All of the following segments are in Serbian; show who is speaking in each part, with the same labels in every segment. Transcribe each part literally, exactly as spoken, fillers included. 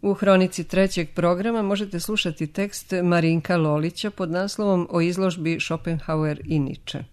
Speaker 1: U hronici trećeg programa možete slušati tekst Marinka Lolića pod naslovom O izložbi Schopenhauer i Nietzsche.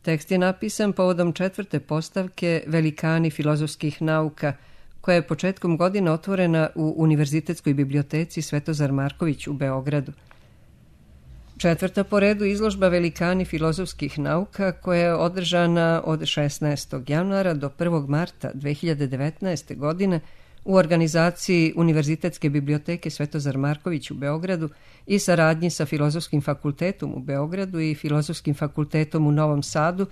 Speaker 1: Tekst je napisan povodom četvrte postavke Velikani filozofskih nauka, koja je početkom godine otvorena u Univerzitetskoj biblioteci Svetozar Marković u Beogradu. Četvrta po redu izložba Velikani filozofskih nauka, koja je održana od šesnaestog januara do prvog marta dve hiljade devetnaeste. godine u organizaciji Univerzitetske biblioteke Svetozar Marković u Beogradu i saradnji sa Filozofskim fakultetom u Beogradu i Filozofskim fakultetom u Novom Sadu,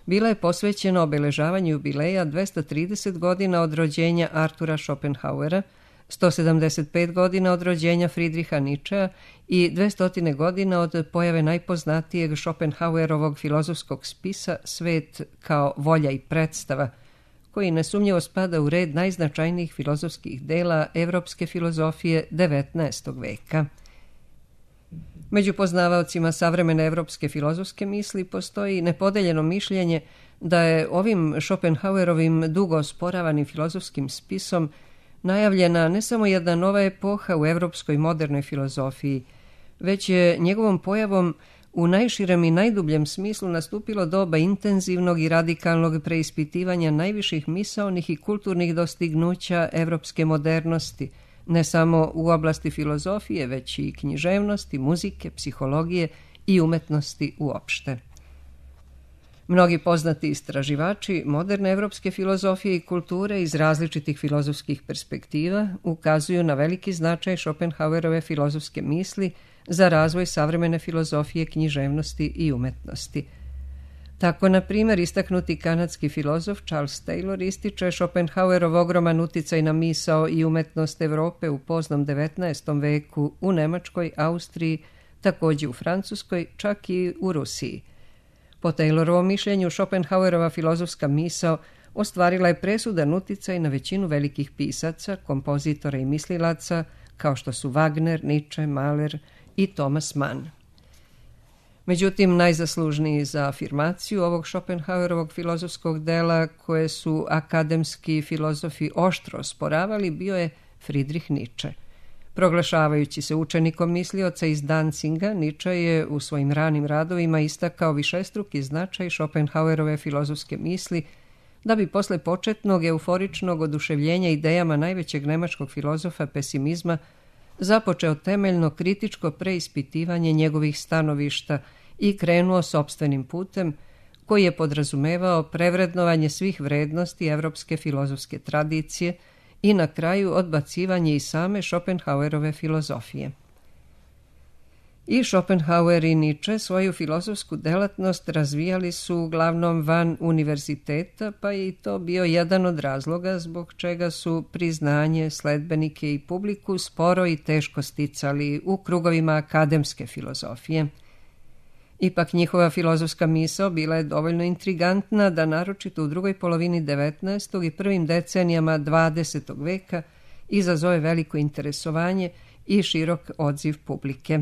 Speaker 1: bila je posvećena obeležavanju jubileja dvesta trideset godina od rođenja Artura Schopenhauera, sto sedamdeset pet godina od rođenja Friedricha Nietzschea i dvesta godina od pojave najpoznatijeg Schopenhauerovog filozofskog spisa Svet kao volja i predstava, koji nesumnjivo spada u red najznačajnijih filozofskih dela evropske filozofije devetnaestog veka. Među poznavaocima savremene evropske filozofske misli postoji nepodeljeno mišljenje da je ovim Schopenhauerovim dugo osporavanim filozofskim spisom najavljena ne samo jedna nova epoha u evropskoj modernoj filozofiji, već je njegovom pojavom u najširem i najdubljem smislu nastupilo doba intenzivnog i radikalnog preispitivanja najviših misaonih i kulturnih dostignuća evropske modernosti, ne samo u oblasti filozofije, već i književnosti, muzike, psihologije i umetnosti uopšte. Mnogi poznati istraživači moderne evropske filozofije i kulture iz različitih filozofskih perspektiva ukazuju na veliki značaj Schopenhauerove filozofske misli za razvoj savremene filozofije, književnosti i umetnosti. Tako, na primjer, istaknuti kanadski filozof Charles Taylor ističe Schopenhauerov ogroman uticaj na misao i umetnost Evrope u poznom devetnaestom veku u Nemačkoj, Austriji, također u Francuskoj, čak i u Rusiji. Po Taylorovom mišljenju, Schopenhauerova filozofska misao ostvarila je presudan uticaj na većinu velikih pisaca, kompozitora i mislilaca, kao što su Wagner, Nietzsche, Mahler i Thomas Mann. Međutim, najzaslužniji za afirmaciju ovog Schopenhauerovog filozofskog dela, koje su akademski filozofi oštro osporavali, bio je Friedrich Nietzsche. Proglašavajući se učenikom mislioca iz Dancinga, Nietzsche je u svojim ranim radovima istakao višestruki značaj Schopenhauerove filozofske misli, da bi posle početnog euforičnog oduševljenja idejama najvećeg nemačkog filozofa pesimizma započeo temeljno kritičko preispitivanje njegovih stanovišta i krenuo sopstvenim putem, koji je podrazumevao prevrednovanje svih vrednosti evropske filozofske tradicije i na kraju odbacivanje i same Schopenhauerove filozofije. I Schopenhauer i Nietzsche svoju filozofsku delatnost razvijali su uglavnom van univerziteta, pa je i to bio jedan od razloga zbog čega su priznanje, sledbenike i publiku sporo i teško sticali u krugovima akademske filozofije. Ipak njihova filozofska misao bila je dovoljno intrigantna da naročito u drugoj polovini devetnaestog i prvim decenijama dvadesetog veka izazove veliko interesovanje i širok odziv publike.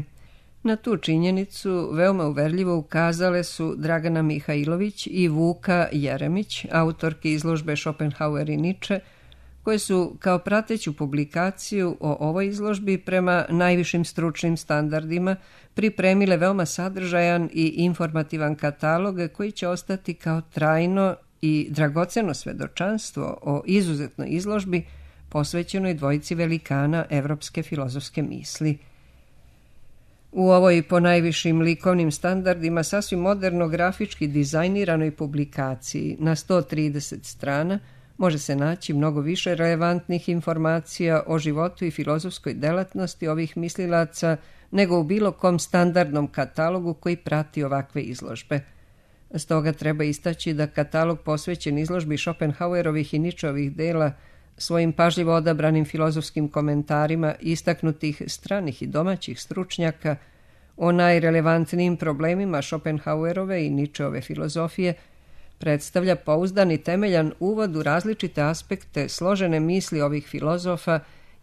Speaker 1: Na tu činjenicu veoma uverljivo ukazale su Dragana Mihajlović i Vuka Jeremić, autorki izložbe Schopenhauer i Nietzsche, koje su kao prateću publikaciju o ovoj izložbi prema najvišim stručnim standardima pripremile veoma sadržajan i informativan katalog koji će ostati kao trajno i dragoceno svedočanstvo o izuzetnoj izložbi posvećenoj dvojici velikana evropske filozofske misli. U ovoj po najvišim likovnim standardima sasvim moderno grafički dizajniranoj publikaciji na sto trideset strana može se naći mnogo više relevantnih informacija o životu i filozofskoj delatnosti ovih mislilaca nego u bilo kom standardnom katalogu koji prati ovakve izložbe. Stoga treba istaći da katalog posvećen izložbi Schopenhauerovih i Nietzscheovih dela svojim pažljivo odabranim filozofskim komentarima istaknutih stranih i domaćih stručnjaka o najrelevantnijim problemima Schopenhauerove i Nietzscheove filozofije predstavlja pouzdan i temeljan uvod u različite aspekte složene misli ovih filozofa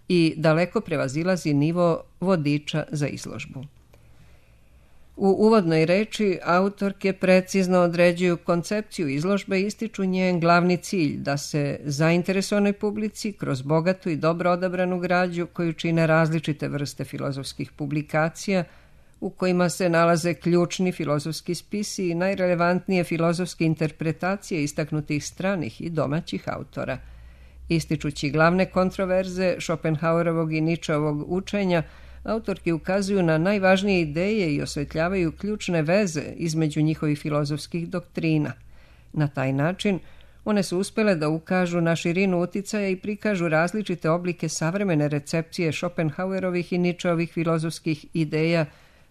Speaker 1: i daleko prevazilazi nivo vodiča za izložbu. U uvodnoj reči autorke precizno određuju koncepciju izložbe i ističu njen glavni cilj da se zainteresovanoj publici kroz bogatu i dobro odabranu građu koju čine različite vrste filozofskih publikacija u kojima se nalaze ključni filozofski spisi i najrelevantnije filozofske interpretacije istaknutih stranih i domaćih autora. Ističući glavne kontroverze Schopenhauerovog i Nietzscheovog učenja, autorki ukazuju na najvažnije ideje i osvetljavaju ključne veze između njihovih filozofskih doktrina. Na taj način one su uspjele da ukažu na širinu uticaja i prikažu različite oblike savremene recepcije Schopenhauerovih i Nietzscheovih filozofskih ideja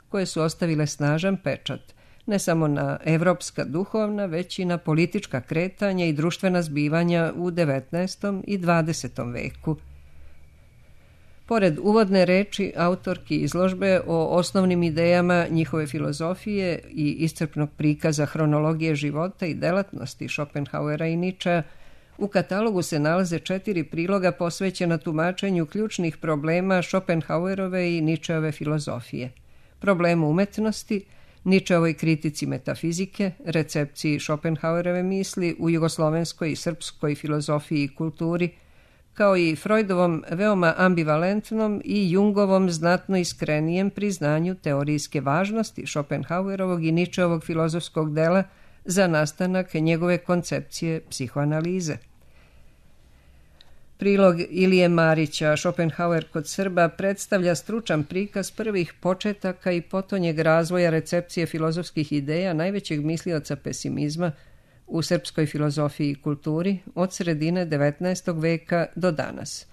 Speaker 1: koje su ostavile snažan pečat, ne samo na evropska duhovna, već i na politička kretanja i društvena zbivanja u devetnaestom i dvadesetom veku. Pored uvodne reči autorki izložbe o osnovnim idejama njihove filozofije i iscrpnog prikaza hronologije života i delatnosti Schopenhauera i Nietzschea, u katalogu se nalaze četiri priloga posvećena tumačenju ključnih problema Schopenhauerove i Nietzscheove filozofije. Problemu umetnosti, Nietzscheovoj kritici metafizike, recepciji Schopenhauerove misli u jugoslovenskoj i srpskoj filozofiji i kulturi, kao i Freudovom veoma ambivalentnom i Jungovom znatno iskrenijem priznanju teorijske važnosti Schopenhauerovog i Nietzscheovog filozofskog dela za nastanak njegove koncepcije psihoanalize. Prilog Ilije Marića, Schopenhauer kod Srba, predstavlja stručan prikaz prvih početaka i potonjeg razvoja recepcije filozofskih ideja najvećeg mislioca pesimizma u srpskoj filozofiji i kulturi od sredine devetnaestog veka do danas.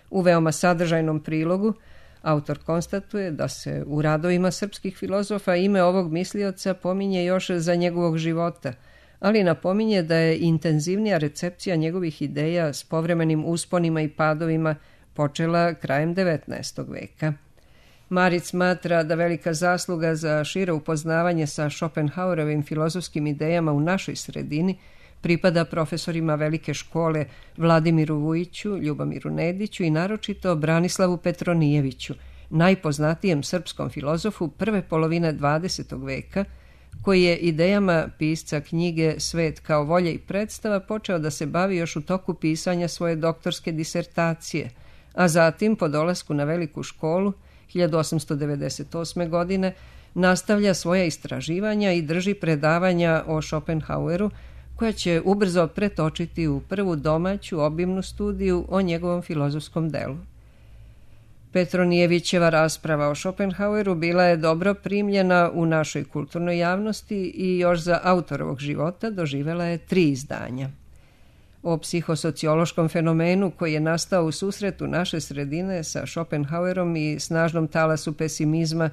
Speaker 1: U veoma sadržajnom prilogu autor konstatuje da se u radovima srpskih filozofa ime ovog mislioca pominje još za njegovog života, ali napominje da je intenzivnija recepcija njegovih ideja s povremenim usponima i padovima počela krajem devetnaestog veka. Marić smatra da velika zasluga za šire upoznavanje sa Schopenhauerovim filozofskim idejama u našoj sredini pripada profesorima velike škole Vladimiru Vujiću, Ljubomiru Nediću i naročito Branislavu Petronijeviću, najpoznatijem srpskom filozofu prve polovine dvadesetog veka, koji je idejama pisca knjige Svet kao volja i predstava počeo da se bavi još u toku pisanja svoje doktorske disertacije, a zatim po dolasku na veliku školu hiljadu osamsto devedeset osme. godine nastavlja svoja istraživanja i drži predavanja o Schopenhaueru, koja će ubrzo pretočiti u prvu domaću obimnu studiju o njegovom filozofskom delu. Petronijevićeva rasprava o Schopenhaueru bila je dobro primljena u našoj kulturnoj javnosti i još za autorovog života doživela je tri izdanja. O psihosociološkom fenomenu koji je nastao u susretu naše sredine sa Schopenhauerom i snažnom talasu pesimizma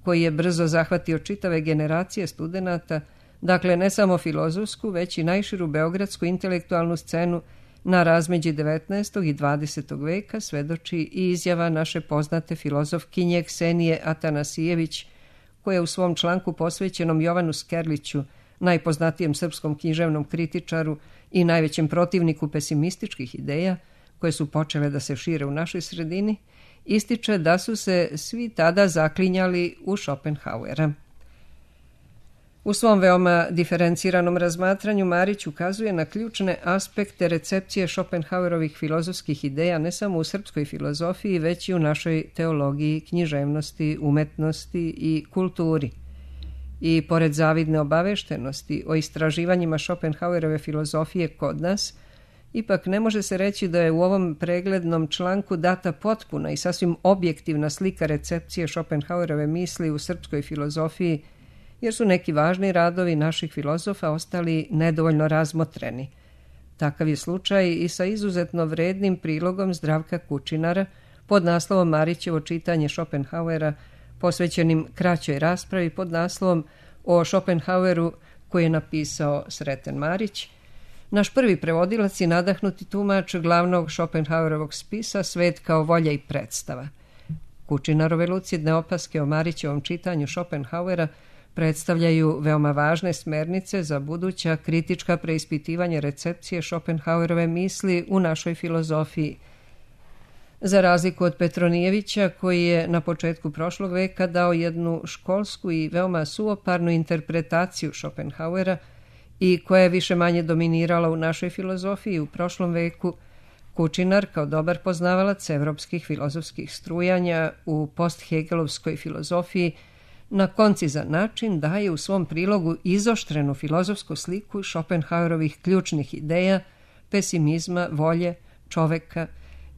Speaker 1: koji je brzo zahvatio čitave generacije studenata, dakle ne samo filozofsku, već i najširu beogradsku intelektualnu scenu na razmeđi devetnaestog i dvadesetog veka, svedoči i izjava naše poznate filozofkinje Ksenije Atanasijević, koja u svom članku posvećenom Jovanu Skerliću, najpoznatijem srpskom književnom kritičaru i najvećem protivniku pesimističkih ideja, koje su počele da se šire u našoj sredini, ističe da su se svi tada zaklinjali u Schopenhauera. U svom veoma diferenciranom razmatranju Marić ukazuje na ključne aspekte recepcije Schopenhauerovih filozofskih ideja ne samo u srpskoj filozofiji, već i u našoj teologiji, književnosti, umetnosti i kulturi. I pored zavidne obaveštenosti o istraživanjima Schopenhauerove filozofije kod nas, ipak ne može se reći da je u ovom preglednom članku data potpuna i sasvim objektivna slika recepcije Schopenhauerove misli u srpskoj filozofiji, jer su neki važni radovi naših filozofa ostali nedovoljno razmotreni. Takav je slučaj i sa izuzetno vrednim prilogom Zdravka Kučinara pod naslovom Marićevo čitanje Schopenhauera, posvećenim kraćoj raspravi pod naslovom o Schopenhaueru koji je napisao Sreten Marić, naš prvi prevodilac i nadahnuti tumač glavnog Schopenhauerovog spisa Svet kao volja i predstava. Kučinarove lucidne opaske o Marićevom čitanju Schopenhauera predstavljaju veoma važne smernice za buduća kritička preispitivanja recepcije Schopenhauerove misli u našoj filozofiji. Za razliku od Petronijevića, koji je na početku prošlog veka dao jednu školsku i veoma suvoparnu interpretaciju Schopenhauera i koja je više manje dominirala u našoj filozofiji u prošlom veku, Kučinar, kao dobar poznavalac evropskih filozofskih strujanja u post-hegelovskoj filozofiji, na koncizan način daje u svom prilogu izoštrenu filozofsku sliku Schopenhauerovih ključnih ideja, pesimizma, volje, čoveka,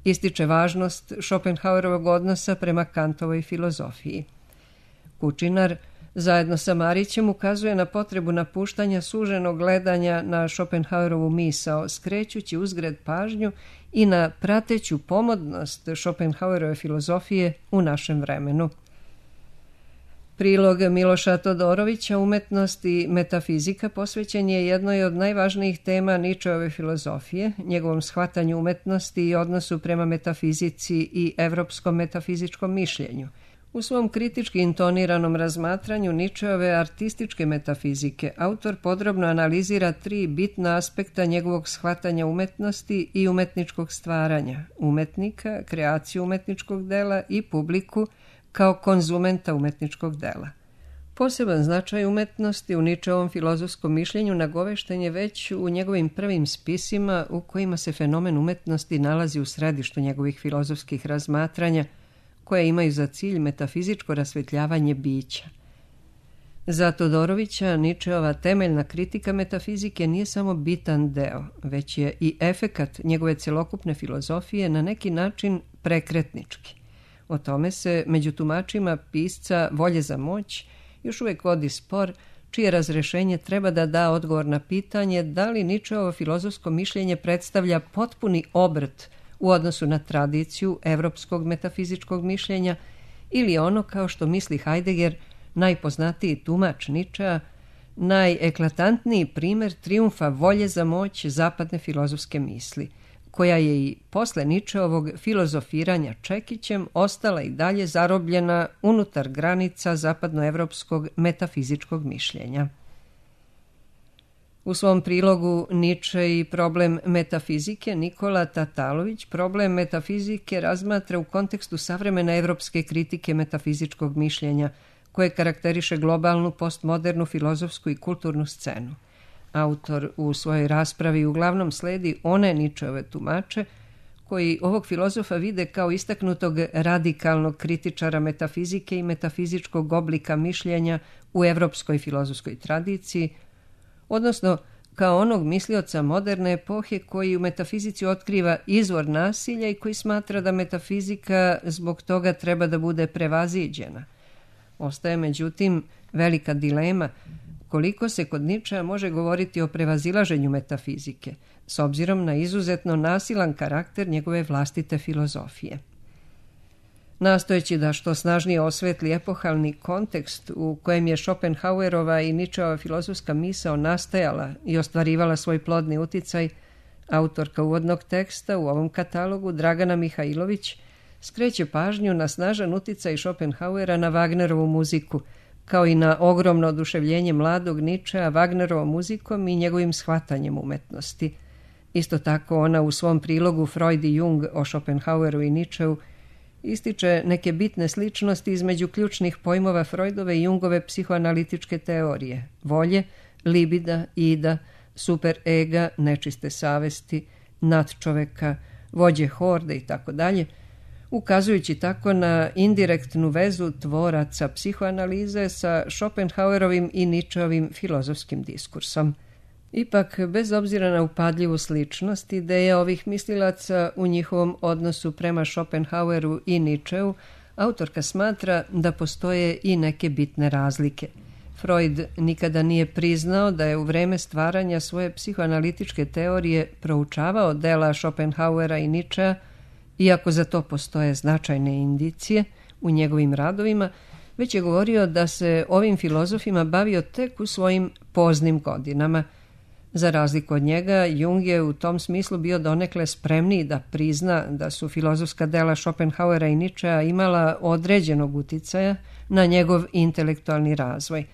Speaker 1: ističe važnost Schopenhauerovog odnosa prema Kantovoj filozofiji. Kučinar zajedno sa Marićem ukazuje na potrebu napuštanja suženog gledanja na Schopenhauerovu misao, skrećući uzgred pažnju i na prateću pomodnost Schopenhauerove filozofije u našem vremenu. Prilog Miloša Todorovića Umetnost i metafizika posvećen je jednoj od najvažnijih tema Ničeove filozofije, njegovom shvatanju umetnosti i odnosu prema metafizici i evropskom metafizičkom mišljenju. U svom kritički intoniranom razmatranju Ničeove artističke metafizike autor podrobno analizira tri bitna aspekta njegovog shvatanja umetnosti i umetničkog stvaranja, umetnika, kreaciju umetničkog dela i publiku kao konzumenta umetničkog dela. Poseban značaj umetnosti u Ničeovom filozofskom mišljenju nagovešten je već u njegovim prvim spisima u kojima se fenomen umetnosti nalazi u središtu njegovih filozofskih razmatranja, koje imaju za cilj metafizičko rasvetljavanje bića. Za Todorovića Ničeova temeljna kritika metafizike nije samo bitan deo, već je i efekat njegove celokupne filozofije na neki način prekretnički. O tome se među tumačima pisca Volje za moć još uvijek vodi spor, čije razrešenje treba da da odgovor na pitanje da li Ničeovo filozofsko mišljenje predstavlja potpuni obrt u odnosu na tradiciju evropskog metafizičkog mišljenja ili ono, kao što misli Heidegger, najpoznatiji tumač Ničea, najeklatantniji primer trijumfa volje za moć zapadne filozofske misli, koja je i posle Ničeovog filozofiranja Čekićem ostala i dalje zarobljena unutar granica zapadnoevropskog metafizičkog mišljenja. U svom prilogu Niče i problem metafizike Nikola Tatalović problem metafizike razmatra u kontekstu savremene evropske kritike metafizičkog mišljenja, koje karakteriše globalnu postmodernu filozofsku i kulturnu scenu. Autor u svojoj raspravi uglavnom sledi one Ničeove tumače koji ovog filozofa vide kao istaknutog radikalnog kritičara metafizike i metafizičkog oblika mišljenja u evropskoj filozofskoj tradiciji, odnosno kao onog mislioca moderne epohe koji u metafizici otkriva izvor nasilja i koji smatra da metafizika zbog toga treba da bude prevaziđena. Ostaje međutim velika dilema koliko se kod Ničea može govoriti o prevazilaženju metafizike, s obzirom na izuzetno nasilan karakter njegove vlastite filozofije. Nastojeći da što snažnije osvetli epohalni kontekst u kojem je Schopenhauerova i Ničeova filozofska misao nastajala i ostvarivala svoj plodni uticaj, autorka uvodnog teksta u ovom katalogu, Dragana Mihajlović, skreće pažnju na snažan uticaj Schopenhauera na Wagnerovu muziku, kao i na ogromno oduševljenje mladog Ničea Wagnerovom muzikom i njegovim shvatanjem umetnosti. Isto tako ona u svom prilogu Freud i Jung o Schopenhaueru i Ničeu ističe neke bitne sličnosti između ključnih pojmova Freudove i Jungove psihoanalitičke teorije: volje, libida, ida, superega, nečiste savesti, nadčoveka, vođe horde itd., ukazujući tako na indirektnu vezu tvoraca psihoanalize sa Schopenhauerovim i Ničeovim filozofskim diskursom. Ipak, bez obzira na upadljivu sličnost ideja ovih mislilaca u njihovom odnosu prema Schopenhaueru i Ničeu, autorka smatra da postoje i neke bitne razlike. Freud nikada nije priznao da je u vreme stvaranja svoje psihoanalitičke teorije proučavao dela Schopenhauera i Ničea, iako za to postoje značajne indicije u njegovim radovima, već je govorio da se ovim filozofima bavio tek u svojim poznim godinama. Za razliku od njega, Jung je u tom smislu bio donekle spremniji da prizna da su filozofska dela Schopenhauera i Ničea imala određenog uticaja na njegov intelektualni razvoj.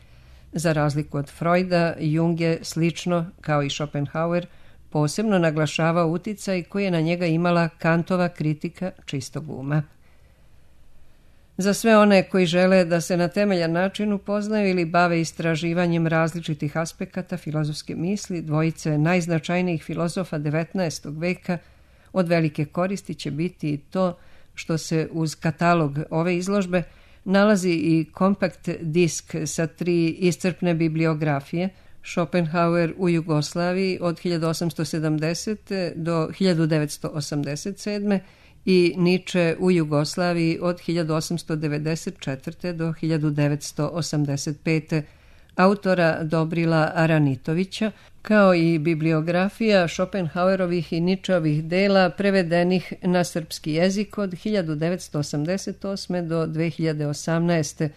Speaker 1: Za razliku od Freuda, Jung je slično, kao i Schopenhauer, posebno naglašavao uticaj koji je na njega imala Kantova kritika čistog uma. Za sve one koji žele da se na temeljan način upoznaju ili bave istraživanjem različitih aspekata filozofske misli, dvojice najznačajnijih filozofa devetnaestog veka, od velike koristi će biti i to što se uz katalog ove izložbe nalazi i kompakt disk sa tri iscrpne bibliografije: Schopenhauer u Jugoslaviji od hiljadu osamsto sedamdesete. do hiljadu devetsto osamdeset sedme. i Nietzsche u Jugoslaviji od hiljadu osamsto devedeset četvrte. do hiljadu devetsto osamdeset pete. autora Dobrila Aranitovića, kao i bibliografija Schopenhauerovih i Nietzscheovih dela prevedenih na srpski jezik od hiljadu devetsto osamdeset osme. do dve hiljade osamnaeste.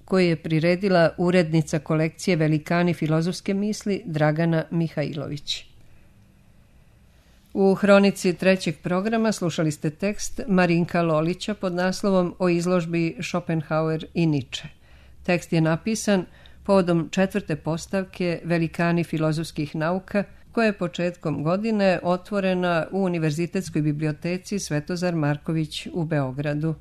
Speaker 1: koji je priredila urednica kolekcije Velikani filozofske misli Dragana Mihajlović. U hronici trećeg programa slušali ste tekst Marinka Lolića pod naslovom O izložbi Schopenhauer i Nietzsche. Tekst je napisan povodom četvrte postavke Velikani filozofskih nauka, koja je početkom godine otvorena u Univerzitetskoj biblioteci Svetozar Marković u Beogradu.